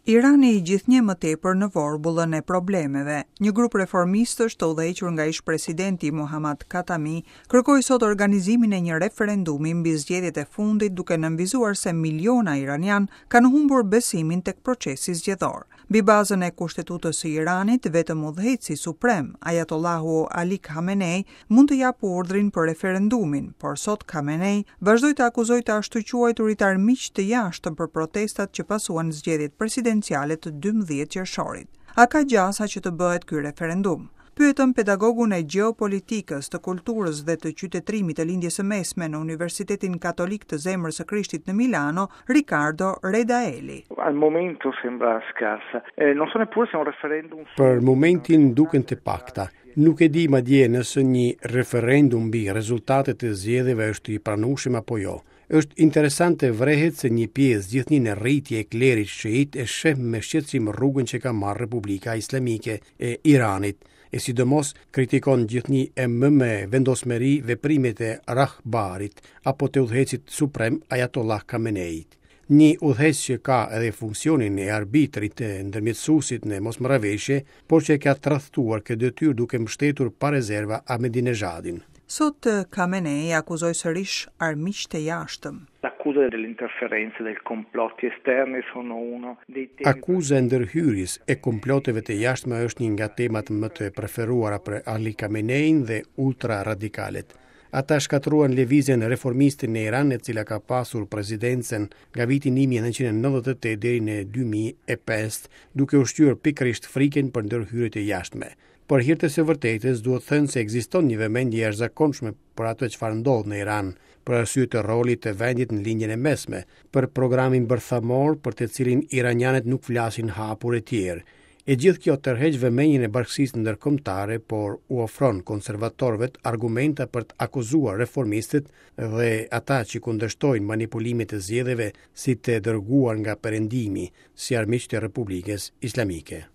Irani gjithnjë më tepër në vorbullën e problemeve. Një grup reformistësh të udhëhequr nga ish-presidenti Mohammad Khatami kërkoi sot organizimin e një referendumi mbi zgjedhjet e fundit duke nënvizuar se miliona iranianë kanë humbur besimin tek procesi zgjedhor. Mbi bazën e Kushtetutës së Iranit, vetëm udhëheqësi suprem, Ajatollahu Ali Khamenei, mund të japë urdhrin për referendumin, por sot Khamenei vazhdoi të akuzojë të ashtuquajturit armiq të jashtëm për protestat që pasuan zgjedhjet presidenciale të 12 qershorit. A ka gjasa që të bëhet ky referendum? Pyetëm pedagogun e gjeopolitikës, të kulturës dhe të qytetërimit të Lindjes së Mesme në Universitetin Katolik të Zemrës së Krishtit në Milano, Riccardo Redaelli. Al momento sembra scarsa. Eh, non so neppure se un referendum Për momentin duken të pakta. Nuk e di madje nëse një referendum mbi rezultatet e zgjedhjeve është i pranueshëm apo jo. Është interesant të vërehet se një pjesë gjithnjë në rritje e klerit shiit e sheh me shqetësim rrugën që ka marrë Republika Islamike e Iranit, e sidomos kritikon gjithnjë e më me vendosmëri veprimet e Rahbarit apo të udhëheqësit suprem Ayatollah Khameneit. Një udhëheqës që ka edhe funksionin e arbitrit të ndërmjetësuesit në mosmarrëveshje, por që e ka tradhtuar këtë detyrë duke mbështetur pa rezerva Ahmadinejadin. Sot Khamenei akuzoi sërish armiqtë e jashtëm. L'accusa delle interferenze, dei complotti esterni sono uno dei temi Akuza e ndërhyrjes e komploteve të jashtme është një nga temat më të preferuara për Ali Khamenein dhe ultra-radikalët. Ata shkatërruan lëvizjen reformiste në Iran, e cila ka pasur presidencën nga viti 1998 deri në 2005, duke ushqyer pikërisht frikën për ndërhyrjet e jashtme. Për hir të së vërtetës, duhet thënë se ekziston një vëmendje e jashtëzakonshme për atë çfarë ndodh në Iran, për arsye të rolit të vendit në Lindjen e Mesme, për programin bërthamor për të cilin iranianët nuk flasin hapur e tjerë. E gjithë kjo tërheq vëmendjen e bashkësisë ndërkombëtare, por u ofron konservatorëve argumenta për të akuzuar reformistët dhe ata që kundërshtojnë manipulimet e zgjedhjeve si të dërguar nga Perëndimi, si armiq të Republikës Islamike.